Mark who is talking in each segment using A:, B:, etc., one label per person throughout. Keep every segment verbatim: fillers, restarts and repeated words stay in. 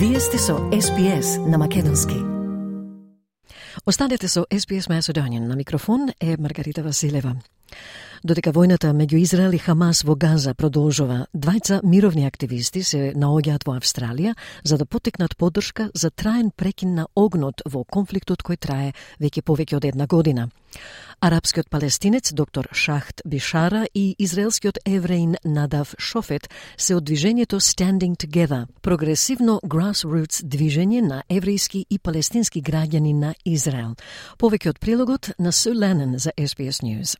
A: Вие сте со Ес Би Ес на македонски. Останете со Ес Би Ес Macedonian. На микрофон е Маргарита Василева. Додека војната меѓу Израел и Хамас во Газа продолжува, двајца мировни активисти се наоѓаат во Австралија за да потекнат поддршка за траен прекин на огнот во конфликтот кој трае веќе повеќе од една година. Арапскиот палестинец доктор Шахт Бишара и израелскиот евреин Надав Шофет се од движењето Standing Together, прогресивно grassroots движење на еврејски и палестински граѓани на Израел. Повеќе од прилогот на Су Ленен за Ес Би Ес News.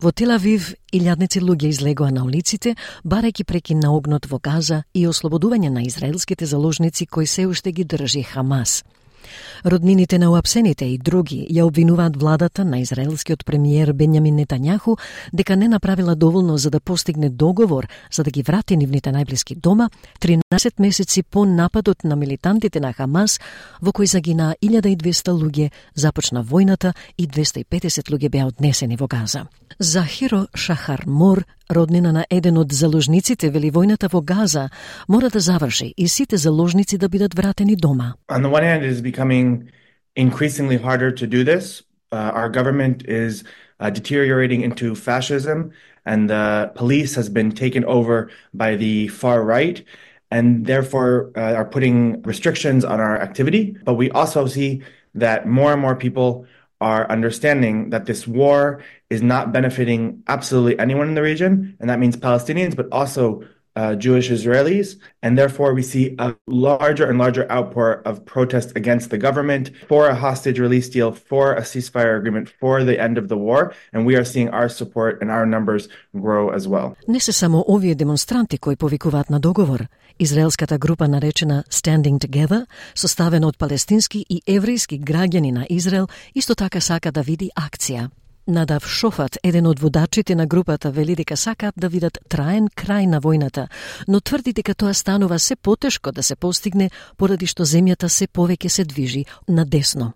A: Во Тел Авив, илјадници луѓе излегоа на улиците, барајќи прекин на огнот во Газа и ослободување на израелските заложници кои се уште ги држи Хамас. Роднините на уапсените и други ја обвинуваат владата на израелскиот премиер Бенјамин Нетањаху дека не направила доволно за да постигне договор за да ги врати нивните најблиски дома, тринаесет месеци по нападот на милитантите на Хамас, во кој загинаа илјада и двесте луѓе, започна војната и двесте и педесет луѓе беа однесени во Газа. Захиро Шахар Мор, роднина на еден од заложниците, вели војната во Газа мора да заврши и сите заложници да бидат вратени дома.
B: On the one hand, it is becoming increasingly harder to do this. Uh, our government is uh, deteriorating into fascism, and the police has been taken over by the far right, and therefore uh, are putting restrictions on our activity. But we also see that more and more people are understanding that this war is not benefiting absolutely anyone in the region, and that means Palestinians, but also uh, Jewish Israelis, and therefore we see a larger and larger outpour of protest against the government, for a hostage release deal, for a ceasefire agreement, for the end of the war, and we are seeing our support and our numbers grow as well.
A: Не се само овие демонстранти кои повикуваат на договор. Израелската група наречена Standing Together, составена од палестински и еврејски граѓани на Израел, исто така сака да види акција. Надав Шофат, еден од водачите на групата, вели дека сакаат да видат траен крај на војната, но тврди дека тоа станува се потешко да се постигне поради што земјата се повеќе се движи на десно.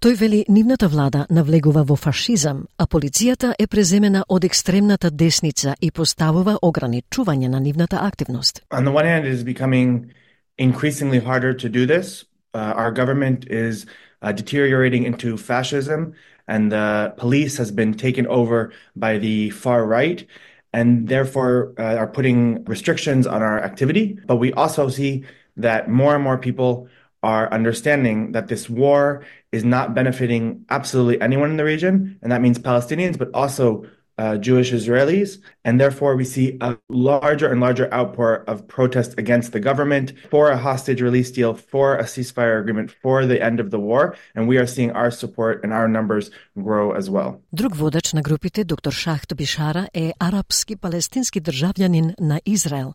A: Тој вели нивната влада навлегува во фашизам, а полицијата е преземена од екстремната десница и поставува ограничување на нивната активност.
B: On the one hand, it is becoming increasingly harder to do this. Uh, our government is uh, deteriorating into fascism, and the police has been taken over by the far right, and therefore uh, are putting restrictions on our activity. But we also see that more and more people are understanding that this war is not benefiting absolutely anyone in the region, and that means Palestinians, but also uh, Jewish Israelis, and therefore we see a larger and larger outpour of protest against the government, for a hostage release deal, for a ceasefire agreement, for the end of the war, and we are seeing our support and our numbers grow as well.
A: Друг водач на групите, доктор Шахт Бишара, е арапски палестински државјанин на Израел.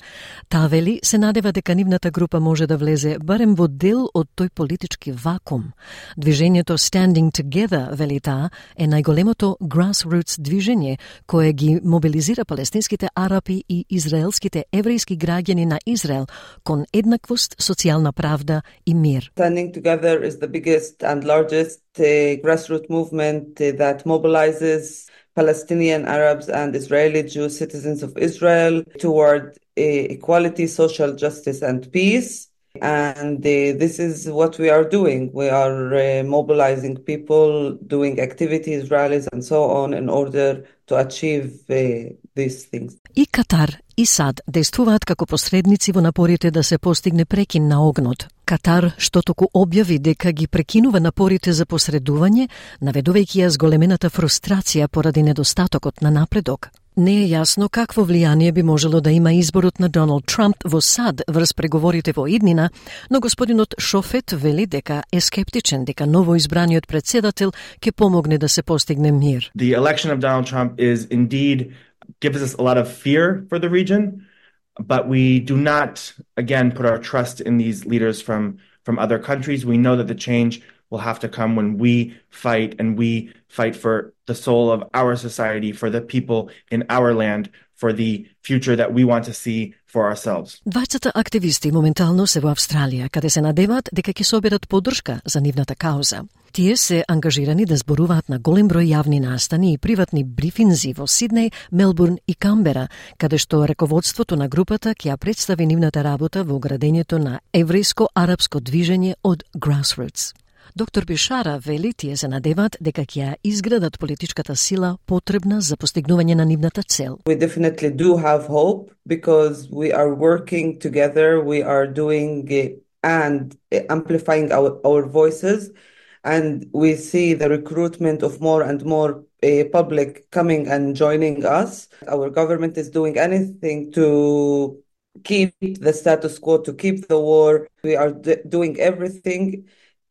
A: Таа вели се надева дека нивната група може да влезе барем во дел од тој политички вакуум. Движењето Standing Together, вели таа, е најголемото grassroots движење кое ги мобилизира палестинските арапи и израелските еврејски граѓани на Израел кон еднаквост, социјална правда и мир.
C: Standing Together is the biggest and largest uh, grassroots movement uh, that mobilizes Palestinian Arabs and Israeli Jewish citizens of Israel toward uh, equality, social justice and peace. And uh, this is what we are doing. We are uh, mobilizing people, doing activities, rallies and so on in order to achieve uh, these things.
A: И Катар и САД действуваат како посредници во напорите да се постигне прекин на огнот. Катар, што току објави дека ги прекинува напорите за посредување, наведувајќи ја зголемената фрустрација поради недостатокот на напредок. Не е јасно какво влијание би можело да има изборот на Доналд Трамп во САД врз преговорите во иднина, но господинот Шофет вели дека е скептичен дека новоизбраниот председател ќе помогне да се постигне мир.
B: The election of Donald Trump is indeed gives us a lot of fear for the region, but we do not, again, put our trust in these leaders from, from other countries. We know that the change will have to come when we fight, and we fight for the soul of our society, for the people in our land, for the future that we want to see for ourselves.
A: Двајцата активисти моментално се во Австралија, каде се надеваат дека ќе соберат поддршка за нивната кауза. Тие се ангажирани да зборуваат на голем број јавни настани и приватни брифинзи во Сиднеј, Мелбурн и Камбера, каде што раководството на групата ќе ја представи нивната работа во градењето на еврејско-арапско движење од Grassroots. Доктор Бишара вели тие се надеваат дека ќе ја изградат политичката сила потребна за постигнување на нивната цел.
C: We definitely do have hope because we are working together, we are doing and amplifying our, our voices, and we see the recruitment of more and more uh, public coming and joining us. Our government is doing anything to keep the status quo, to keep the war. We are d- doing everything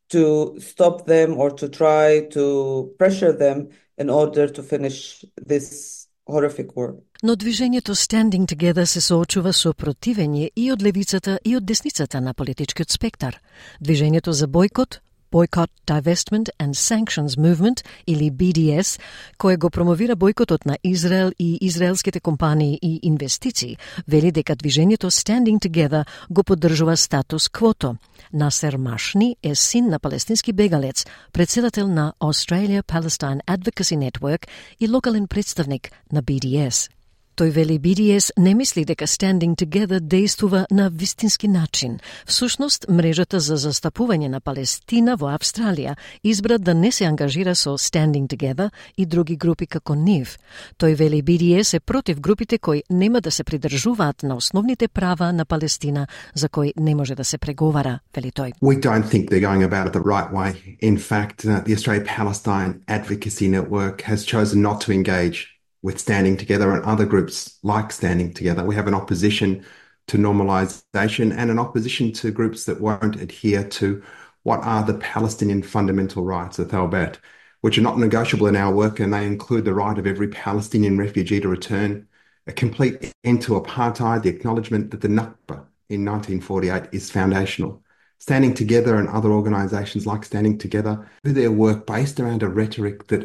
C: to stop them or to try to pressure them in order to finish this horrific war.
A: Но движењето Standing Together се соочува со противење и од левицата и од десницата на политичкиот спектар. Движењето за бойкот, Boycott, Divestment and Sanctions Movement, или B D S, кој го промовира бойкотот на Израел и израелските компании и инвестиции, вели дека движењето Standing Together го поддржува статус квото. Насер Машни е син на палестински бегалец, председател на Australia Palestine Advocacy Network и локален представник на B D S. Тој вели B D S не мисли дека Standing Together действува на вистински начин. Всушност, мрежата за застапување на Палестина во Австралија избра да не се ангажира со Standing Together и други групи како нив. Тој вели B D S е против групите кои нема да се придржуваат на основните права на Палестина, за кои не може да се преговара, вели тој.
D: We don't think they're going about it the right way. In fact, uh, the Australia-Palestine Advocacy Network has chosen not to engage with Standing Together and other groups like Standing Together. We have an opposition to normalisation and an opposition to groups that won't adhere to what are the Palestinian fundamental rights of Thalbat, which are not negotiable in our work, and they include the right of every Palestinian refugee to return, a complete end to apartheid, the acknowledgement that the Nakba in nineteen forty-eight is foundational. Standing Together and other organisations like Standing Together do their work based around a rhetoric that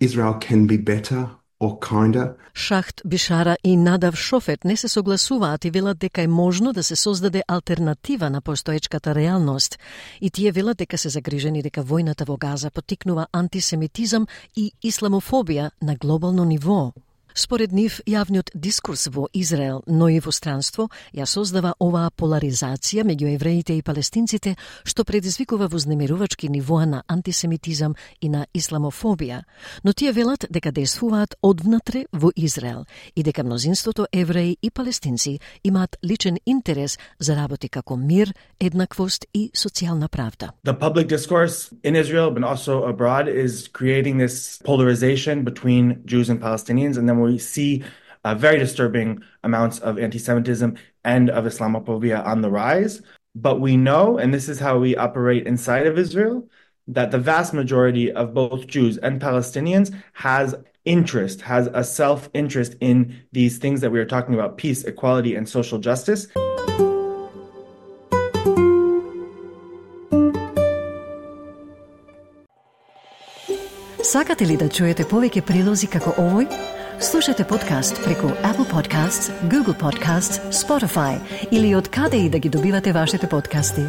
D: Israel can be better or kinder.
A: Шахт Бишара и Надав Шофет не се согласуваат и велат дека е можно да се создаде алтернатива на постоечката реалност. И тие велат дека се загрижени дека војната во Газа поттикнува антисемитизам и исламофобија на глобално ниво. Според нив, јавниот дискурс во Израел, но и во странство, ја создава оваа поларизација меѓу евреите и палестинците, што предизвикува вознемирувачки нивоа на антисемитизам и на исламофобија. Но тие велат дека действуваат одвнатре во Израел и дека мнозинството евреи и палестинци имаат личен интерес за работи како мир, еднаквост и социјална правда.
B: The public discourse in Israel, but also abroad, is creating this polarization between Jews and Palestinians, and then we see uh, very disturbing amounts of anti-Semitism and of Islamophobia on the rise. But we know, and this is how we operate inside of Israel, that the vast majority of both Jews and Palestinians has interest, has a self-interest in these things that we are talking about, peace, equality, and social justice.
A: Сакате ли да чуете повеќе прилози како овој? Слушате подкаст преку Apple Podcasts, Google Podcasts, Spotify или од каде и да ги добивате вашите подкасти.